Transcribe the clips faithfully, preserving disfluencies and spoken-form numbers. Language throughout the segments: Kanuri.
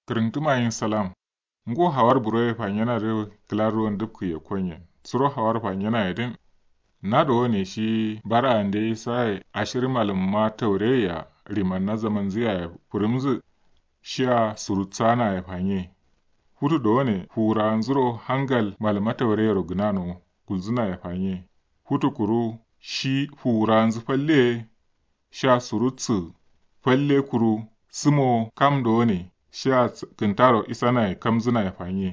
Kǝrǝntǝma yin salam. Ngo hawar buroye fanyena dǝ kǝla ruwon dǝpkǝ ye konyen suro hawar fanyena ye dǝn. Na dowone shi bara ande isaye ashir malǝmma taure ya rimanna zamanzǝ yaye fǝrǝmzǝ. Shiya surutsana ye fanye. Futu dowone fuwuranzuro hangal malǝmma taure yero gǝnano gulzǝna ye fanye. Futu kuru shi fuwuranzǝ falle sha surutsǝ falle kuru sǝmo kam dowone sha kǝntaro isanaye kamzǝnaye fanye.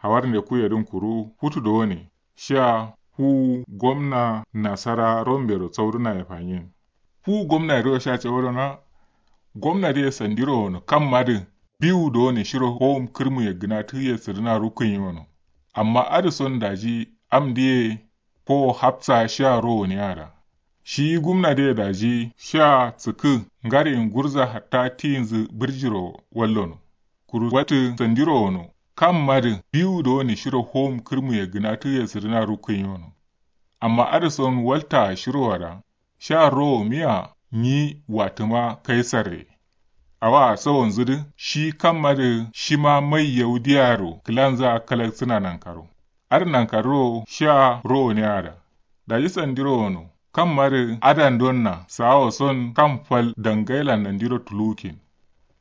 Hawar nde kuyedǝn kuru futu dowone sha fuwu gomna nasara rombero saudǝnaye fanye. Fuwu gomna dǝro sha cawodona gomna dǝye sandiro wono kamma dǝ biwu dowone shiro howum kǝrmuye gǝnatǝye sǝdǝna rukkǝnyi wono. Amma adǝ son daji am dǝye fowo hafsa shiya ro wuniyada. Shi gumna dǝye daji shiya sǝkkǝ ngariyin gurza hatta tiyinzǝ bǝrjiro wallono. Kuru wattǝ sandiro wono kamma dǝ biwu dowone shiro howum kǝrmuye gǝnatǝye sǝdǝna rukkǝnyi wono. Amma adǝ son walta shiro wada sha rowo miya nyi watǝma kaisarre. Awa sawonzǝ dǝ shi kamma dǝ shima mai yaudiyaro kǝlanzǝa kalaksǝna nankaro. Adǝ nankarro sha rowo ne ada. Daji sandiro wono kamma dǝ adandonna sawo son kam fal dangailan nandiro tulukin.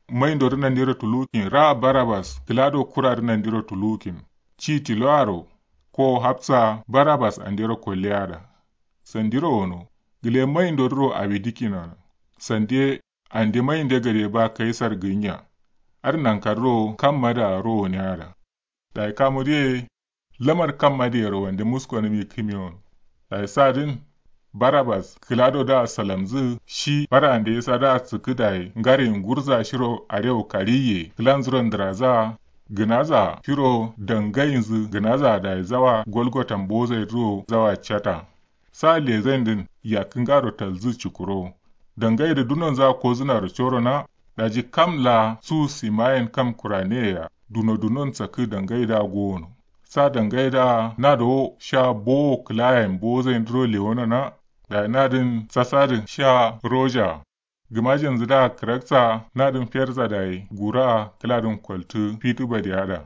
Maindodo nandiro tulukin ra barabas kǝlado kurado nandiro tulukin. Ci tiloaro ko hafsa barabas andero kolleyada. Sandiro wono gǝle maindoduro awi dikkinano. Sande ande mainde gade ba kaisar gǝnya. Adǝ nankarro kamma da ro wuniyada. Dayi kamu dǝye lamar kamma dǝyero wande muskonǝmi kǝmiyon. Dayi sadǝn barabas kǝlado da salamzǝ shi bara ande isa da sǝkkǝ dayi ngariyin gurza shiro arewu kariye kǝlanzuro ndǝraza gǝnaza shiro dangayinzǝ gǝnaza dayi zawa golgotan bozai duro zawa cata. Sa lezain dǝn yakkǝ ngaro talzǝ cukuro. Dangai dǝ dunonza kozǝnaro corona. Daji kam la su simayen kam kurane ya duno dunon sakkǝ dangai da gowono. Sa dangai da na dowo sha bowo kǝlayen bozain duro lewonona. Dayi nadǝn sasadǝ sha roja. Gǝmajenzu da kǝraksa nadǝn ferza dayi gura kǝladǝn koltǝ fitǝ badiya da.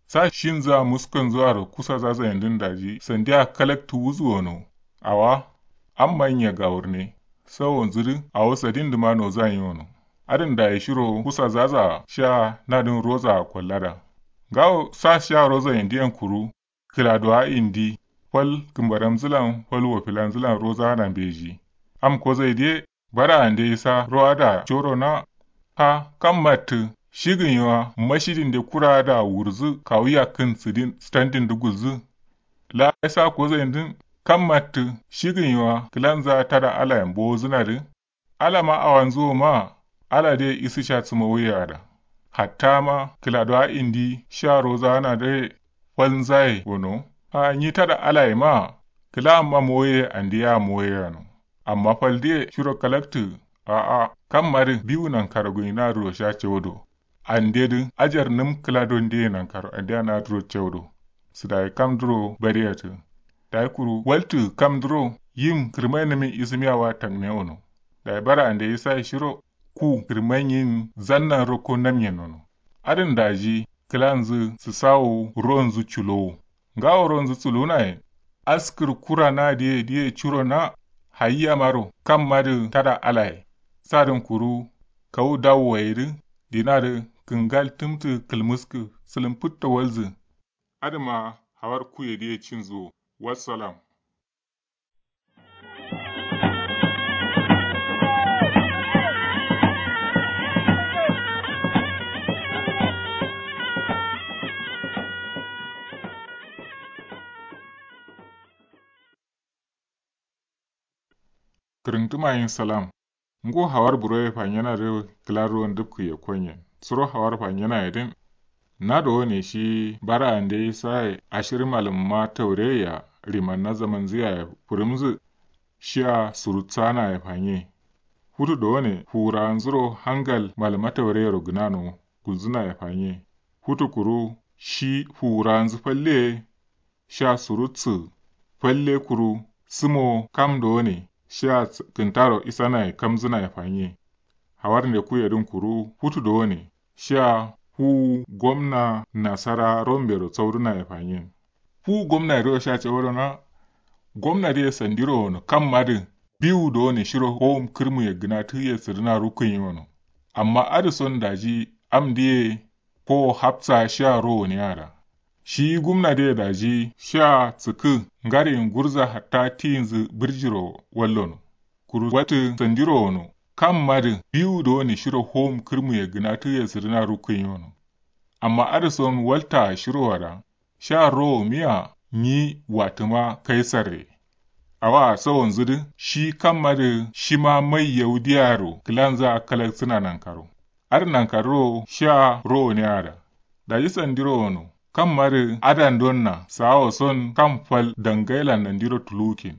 Sa shinza muskonzu aro kusa zaza yendǝn daji sandiya kalaktu wuzu wono. Awa amma nya gawurne. Sawonzu dǝ awo sadin dǝma noza nyi wono. Adǝn dayi shiro kusa zaza sha nadǝn roza kollada. Ngawo sa sha roza yendiyen kuru kǝladowa indi fal kǝmbaramzǝlan fal wofilanzǝlan rozana mbeji. Am kozai dǝye bara ande isa ro'ada corona. Ha kam mattǝ shigǝn yiwa mashidin de kura da wurzǝ kawu yakkǝn sǝdin standin dǝ gulzǝ. La isa kozai dǝn kam mattǝ shigǝn yiwa kǝlanza tada alayen bowozǝna dǝ. Ala ma awanzu wo ma ala de isǝ sha sǝmo wuye ada. Hatta ma kǝladowa indi sha rozana de falnzaye wono. A nyi tada alaye ma kǝla amma moye andi ya moye yano. Amma fal de shiro kalaktǝ. A'a kam ma dǝ biwu nankaro gǝnyina duro sha cewudo. Ande dǝ ajar nǝm kǝla don dǝye nankaro ande ana duro cewudo. Sǝdayi kam duro bariyatǝ. Dayi kuru waltǝ kam duro yim kǝrmainǝmin isǝmiya wa takne wono. Dayi bara ande isaye shiro ku kǝrmainyin zannan rokko namyen nono. Adǝn daji kǝlanzǝ sǝsawo ronzǝ culowo. Ngawo ronzǝ culunaye askǝr kura na diye diye curo na. Hayiya maro kam madǝ tada alaye. Sadǝn kuru kawu dawo waye dǝ dina dǝ kǝngal tǝmtǝ kǝlmǝskǝ sǝlǝm fǝtto walzǝ. Adǝma hawar kuye diye cinzǝ wo. Wassalam. Kǝrǝntǝma yin salam. Ngo hawar buroye fanyena dǝ kǝla ruwon dǝpkǝ ye konyen suro hawar fanyena ye dǝn. Na dowone shi bara ande isaye ashir malǝmma taure ya rimanna zamanzǝ yaye fǝrǝmzǝ. Shiya surutsana ye fanye. Futu dowone fuwuranzuro hangal malǝmma taure yero gǝnano gulzǝna ye fanye. Futu kuru shi fuwuranzǝ falle sha surutsǝ falle kuru sǝmo kam dowone shiya kǝntaro isanaye kamzǝnaye fanye. Hawar nde kuyedǝn kuru futu dowone shiya Fu gomna nasara rombero sauruna ye fanyen. Fu gomna ye duro sha cawado na. Gomna dǝ ye sandiro wono kamma dǝ biwu done shiro howum kǝrmu ye gǝna tǝ ye sǝdǝna rukkuyin wono. Amma adǝ son daji am dǝ ye ko hafsa sha ro wone ada. Shi gumna dǝ ye daji sha sǝkkǝ ngariyin gurza hatta tiyinzǝ bǝrjiro wallono. Kuru waltǝ sandiro wono kamma dǝ biwu done shiro howum kǝrmu ye gǝna tǝ ye sǝdǝna rukkuyin wono. Amma adǝ son walta shiro ada sha rowo miya nyi watǝma kaisarre. Awa sawonzǝ dǝ shi kamma dǝ shima mai yaudiyaro kǝlanzǝ a kalaksǝna nankaro. Adǝ nankarro sha rowo ne ada. Daji sandiro wono kamma dǝ adan donna sawo son kam fal dangailan nandiro tulukin.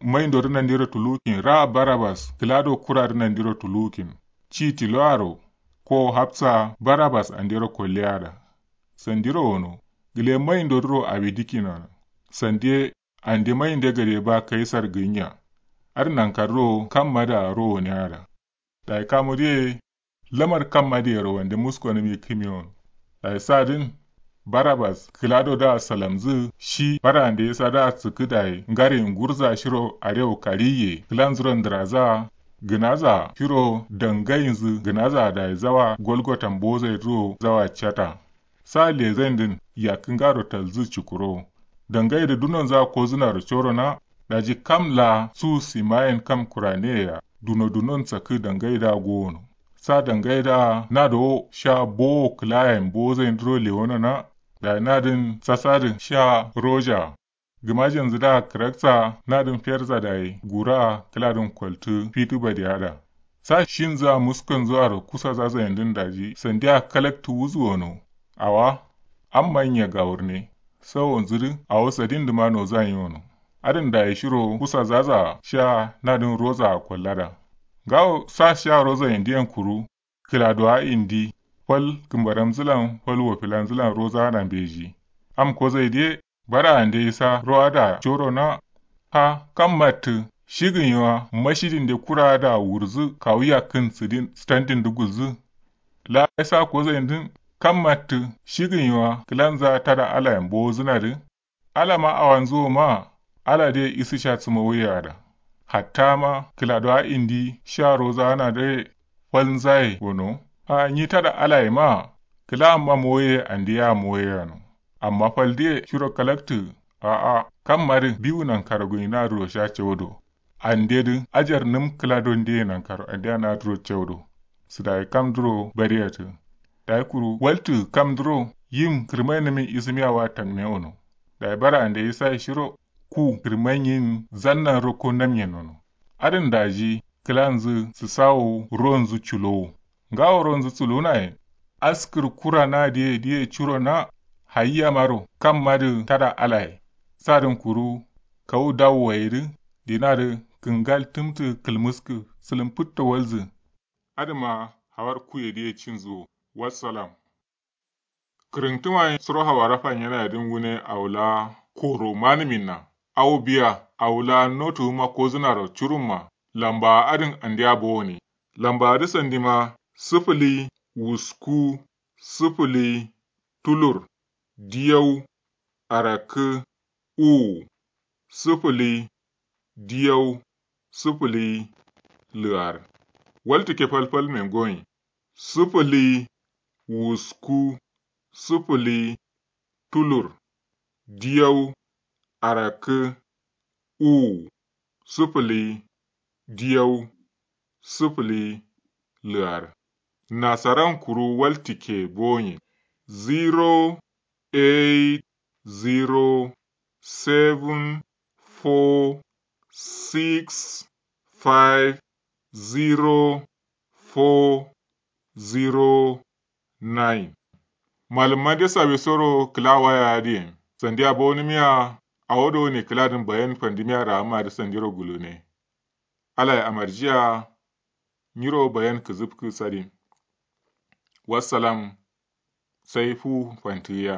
Maindo dǝ nandiro tulukin ra barabas kǝlado kura dǝ nandiro tulukin. Ci tiloaro ko hafsa barabas andero kolle ada. Sandiro wono gǝle maindo dǝro awi dikkin wono. Sande ande mainde gade ba kaisar gǝnya. Adǝ nankarro kamma da ro wone ada. Dayi kamu dǝ ye lamar kamma dǝ yero wande muskonǝm yikkǝmi wono. Dayi sadǝn barabas kǝlado da salamzǝ shi barande sa da sǝkkǝ dayi ngariyin gurza shiro arewu kariye kǝlanzuro ndǝraza gǝnaza shiro dangayinzǝ gǝnaza dayi zawa golgotan bozai duro zawa cata. Sa lezain dǝn yakkǝ ngaro talzǝ cukuro. Dangai dǝ dunonza kozǝnaro corona. Daji kam la su simayen kam kuraneyeya duno dunon sakkǝ dangai da gowono. Sa dangai da nadowo sha bowo kǝlayen bozain duro lewonona. Dayi nadǝn sasadǝ sha roja. Gǝmajenzu da kǝraksa nadǝn ferza dayi gura kǝladǝn koltǝ fitǝ badiya da. Sa shinzǝ a muskonzǝ aro kusa zazaindǝn daji sandiya kalaktǝ wuzǝ wono. Awa amma nya gawurne sawonzǝ dǝ awo sadindǝ ma nozan yi wono. Adǝn dayi shiro kusa zaza sha nadǝn roza kollada. Ngawo sa sha rozaindiyen kuru kǝladowa indi fal kǝmbaramzǝlan fal wofilanzǝlan rozana mbeji. Am kozaidǝ ye bara ande isa ro ada coro na. Ha kam mattǝ shigǝnyi wa mashidinde kura ada wurzǝ kawu yakkǝn sǝdin sǝtandindǝ gulzǝ. La isa kozaindǝn kam mattǝ shigǝnyi wa kǝlanza tada alayen bowozǝnadǝ. Ala ma awanzu wo ma. Ala dǝ ye isǝ sha sǝmo wuye ada. Hatta ma kǝladowa indi sha rozana dǝ ye falnzaye gono. A nyi tada alaye ma kǝla amma moye ande ya moye yano. Amma fal dǝ ye shiro kalaktǝ. A'a kam madǝ biwu nankaro gǝnyina duro sha cewudo. Ande dǝ ajar nǝm kǝla don dǝ ye nankaro ande ya naduro cewudo. Sǝ dayi kam duro bariyatǝ. Dayi kuru waltǝ kam duro yim kǝrmainǝmin isǝmiya wa tangne wono. Dayi bara ande isa ye shiro ku kǝrmainyin zannan rokko namyen wono. Adǝn daji kǝlanzǝ sǝsawo ronzǝ culowo. Ngawo ronzǝ sulunaye. Askǝr kura na dǝ ye dǝ ye curo na. Hayi yamaro kam madǝ tada alaye. Sadǝn kuru kawu dawu waye dǝ dinadǝ kǝngal tǝmtǝ kǝlmǝskǝ sǝlǝm fǝtto walzǝ. Adǝma hawar kuye dǝ ye cinzǝ wo. Wassalam. Kǝrǝntǝma ye suro hawara fanyenaye dǝ ngune awo la koro manǝminna. Awo biya awo la notu wuma kozǝnaro curumma. Lambawa adǝn andeya bowone. Lambawa dǝ sandima sǝfǝli wusku sǝfǝli tulur diyau arakkǝ uwu sǝfǝli diyau sǝfǝli lǝar. Waltǝ ke falfalmen goyin sǝfǝli wusku sǝfǝli tulur diyau arakkǝ uwu sǝfǝli diyau sǝfǝli lǝar. Nasaran kuru waltǝ ke boyin zero eight zero seven four six five zero four zero nine. Malǝmma de sawe soro kǝla waya adǝ yen sandiya bowonǝmiya. Awo done kǝladǝn bayan fandǝmiya rahamma dǝ sandiro gulune. Alaye amarjiya. Nyiro bayan kǝzǝfkǝ sadin. Wassalam. Sai fu fantǝgǝya.